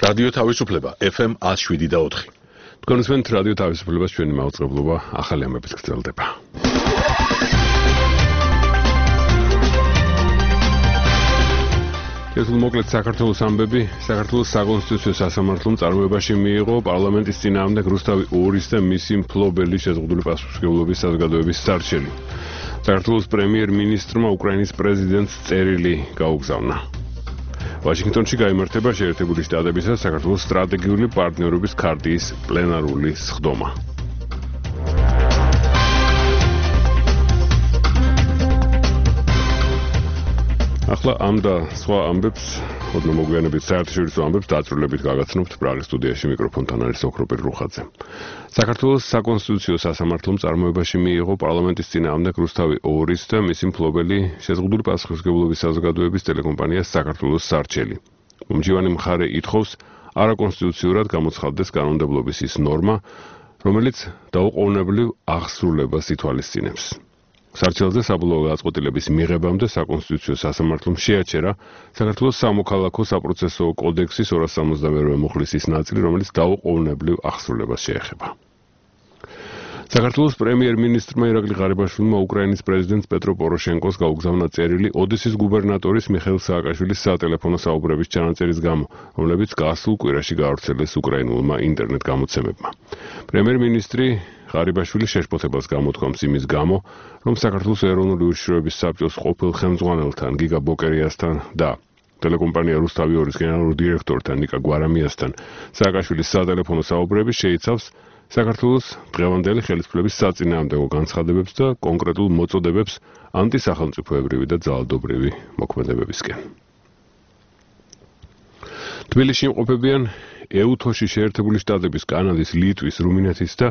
რადიო თავისუფლება FM 107.4. თქვენსმენთ რადიო თავისუფლებას ჩვენი მაუწყებლობა ახალი ამბებით გრძელდება. ეს მოკლედ საქართველოს ამბები, საქართველოს საკონსტიტუციო სასამართლომ წარმოებაში მიიღო პარლამენტის წინააღმდეგ რუსთავი ორის და მისი მფლობელი შეზღუდული პასუხისმგებლობის საზოგადოების სარჩელი. საქართველოს პრემიერ-მინისტრმა უკრაინის პრეზიდენტს წერილი გაუგზავნა. ვაშინგტონში გაიმართება შეერთებული შტატებისა და საქართველოს სტრატეგიული პარტნიორობის ქარტიის პლენარული სხდომა. ახლა ამ და სხვა ამბებს, ოდნავ მოგვიანებით საერთაშორისო ამბებს დაწვრილებით გაგაცნობთ პრაღის სტუდიაში მიკროფონთან არის ოქროპირ რუხაძე. საქართველოს საკონსტიტუციო სასამართლომ წარმოებაში მიიღო პარლამენტის წინააღმდეგ რუსთავი ორის და მისი მფლობელი შეზღუდული პასუხისმგებლობის საზოგადოების ტელეკომპანია საქართველოს სარჩელი. მომჯივანი მხარე ითხოვს არაკონსტიტუციურად გამოცხადდეს კანონმდებლობის ის ნორმა, რომელიც დაუყოვნებლივ აღსრულებას ითვალისწინებს. სარჩელზე საბოლოო გადაწყვეტილების მიღებამდე საკონსტიტუციო სასამართლომ შეაჩერა საქართველოს სამოქალაქო საპროცესო კოდექსის 272 მუხლის ის ნაწილი, რომელიც დაუყოვნებლივ აღსრულებას შეეხება. საქართველოს პრემიერ-მინისტრმა ირაკლი ღარიბაშვილმა უკრაინის პრეზიდენტს პეტრო პოროშენკოს გაუგზავნა წერილი ოდესის გუბერნატორის მიხეილ სააკაშვილის სატელეფონო საუბრების ჩანაწერის გამო, რომლებიც გასულ კვირაში გაავრცელეს უკრაინულმა ინტერნეტ გამოცემებმა. პრემიერ-მინისტრი ღარიბაშვილი შეშფოთებას გამოთქვამს იმის გამო, რომ საქართველოს ეროვნული უშიშროების საბჭოს ყოფილ ხელმძღვანელთან გიგა ბოკერიასთან და ტელეკომპანია რუსთავი ორის გენერალურ დირექტორთან ნიკა გვარამიასთან სააკაშვილის სატელეფონო საუბრები შეიცავს საქართველოს დღევანდელი ხელისუფლების საწინააღმდეგო განცხადებებს და კონკრეტულ მოწოდებებს ანტისახელმწიფოებრივი და ძალადობრივი მოქმედებებისკენ. თბილისში იმყოფებიან ეუთოში შეერთებული შტატების, კანადის, ლიტვის, რუმინეთის და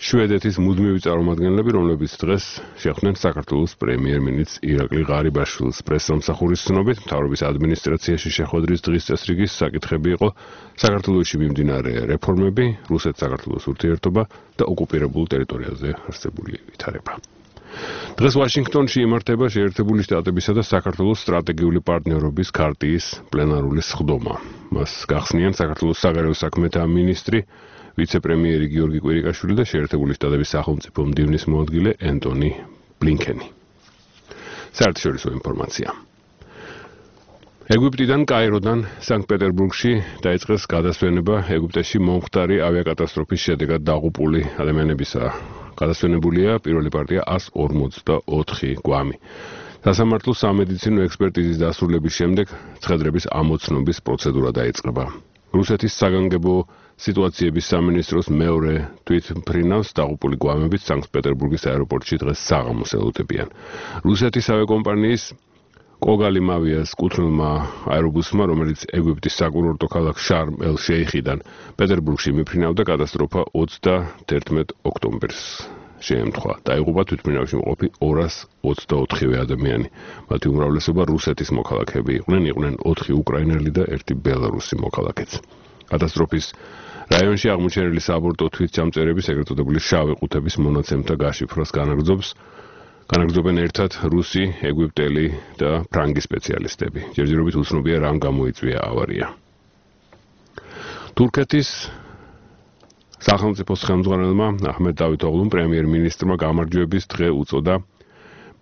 შვედეთის მუდმივი წარმომადგენლები, რომლებიც დღეს შეხვდნენ საქართველოს პრემიერ-მინისტრ ირაკლი ღარიბაშვილს. პრესსამსახურის ცნობით, მთავრობის ადმინისტრაციაში შეხვედრის დღის წესრიგის საკითხები იყო საქართველოში მიმდინარე რეფორმები, რუსეთ-საქართველოს ურთიერთობა და ოკუპირებულ ტერიტორიაზე არსებული ვითარება. დღეს ვაშინგტონში იმართება შეერთებული შტატებისა და საქართველოს სტრატეგიული პარტნიორობის ქარტიის პლენარული სხდომა. მას გახსნიან საქართველოს საგარეო საქმეთა მინისტრი ვიცე-პრემიერი გიორგი კვირიკაშვილი და შეერთებული შტატების სახელმწიფო მდივნის მოადგილე ენტონი ბლინკენი. საერთაშორისო ინფორმაცია. ეგვიპტიდან კაიროდან სანქტ-პეტერბურგში დაიწყეს გადასვენება ეგვიპტეში მომხდარი ავიაკატასტროფის შედეგად დაღუპული ადამიანებისა. გადასვენებულია პირველი პარტია 144 გვამი. სასამართლოს სამედიცინო ექსპერტიზის დასრულების შემდეგ ცხედრების ამოცნობის პროცედურა დაიწყება. რუსეთის საგანგებო სიტუაციების სამინისტროს მეორე თვითმფრინავს დაღუპული გვამებით სანქტ-პეტერბურგის აეროპორტში დღეს საღამოს ელოდებიან. რუსეთის ავიაკომპანიის კოგალიმავიას კუთვნილმა აერობუსმა, რომელიც ეგვიპტის საკურორტო ქალაქ შარმ-ელ-შეიხიდან პეტერბურგში მიფრინავდა, კატასტროფა 31 ოქტომბერს შეემთხვა. დაიღუპა თვითმფრინავში მყოფი 224 ადამიანი. მათი უმრავლესობა რუსეთის მოქალაქეები იყვნენ 4 უკრაინელი და 1 ბელარუსი მოქალაქეც. კატასტროფის რაიონში აღმოჩენილი საბორტო თვითჩამწერების ეგრეთ წოდებული შავი ყუთების მონაცემთა გაშიფრვას განაგრძობენ ერთად რუსი, ეგვიპტელი და ფრანგი სპეციალისტები. ჯერჯერობით უცნობია რამ გამოიწვია ავარია. თურქეთის სახელმწიფოს ხელმძღვანელმა აჰმედ დავითოღლუმ პრემიერ-მინისტრმა გამარჯვების დღე უწოდა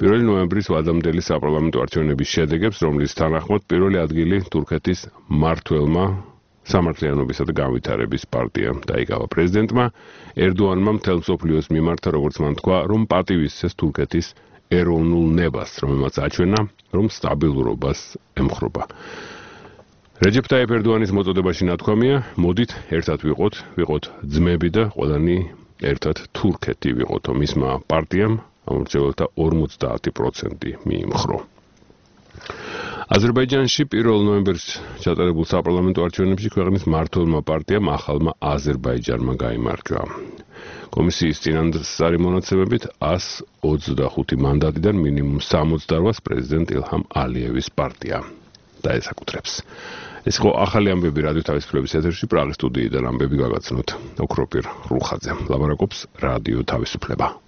1 ნოემბრის ვადამდელი საპარლამენტო არჩევნების შედეგებს, რომლის თანახმად პირველი ადგილი თურქეთის მმართველმა სამართლიანობისა და განვითარების პარტიამ დაიკავა. პრეზიდენტმა ერდოანმა მთელ მსოფლიოს მიმართა, როგორც მან თქვა, რომ პატივისცეს თურქეთის ეროვნულ ნებას, რომელმაც აჩვენა, რომ სტაბილურობას ემხრობა. რეჯეფ ტაიპ ერდოანის მოწოდებაში ნათქვამია, მოდით ერთად ვიყოთ ძმები და ყველანი ერთად თურქეთი ვიყოთო. მისმა პარტიამ ამორჩეველთა 50% მიიმხრო. აზერბაიჯანში 1 ნოემბერს ჩატარებულ საპარლამენტო არჩევნებში ქვეყნის მმართველმა პარტიამ ახალმა აზერბაიჯანმა გაიმარჯვა. კომისიის წინასწარი მონაცემებით 125 მანდატიდან მინიმუმ 68-ს პრეზიდენტ ილჰამ ალიევის პარტია დაესაკუთრებს. ეს იყო ახალი ამბები რადიო თავისუფლების ეთერში პრაღის სტუდიიდან ამბები გაგაცნოთ ოქროპირ რუხაძე. ლაბარაკობს რადიო თავისუფლება.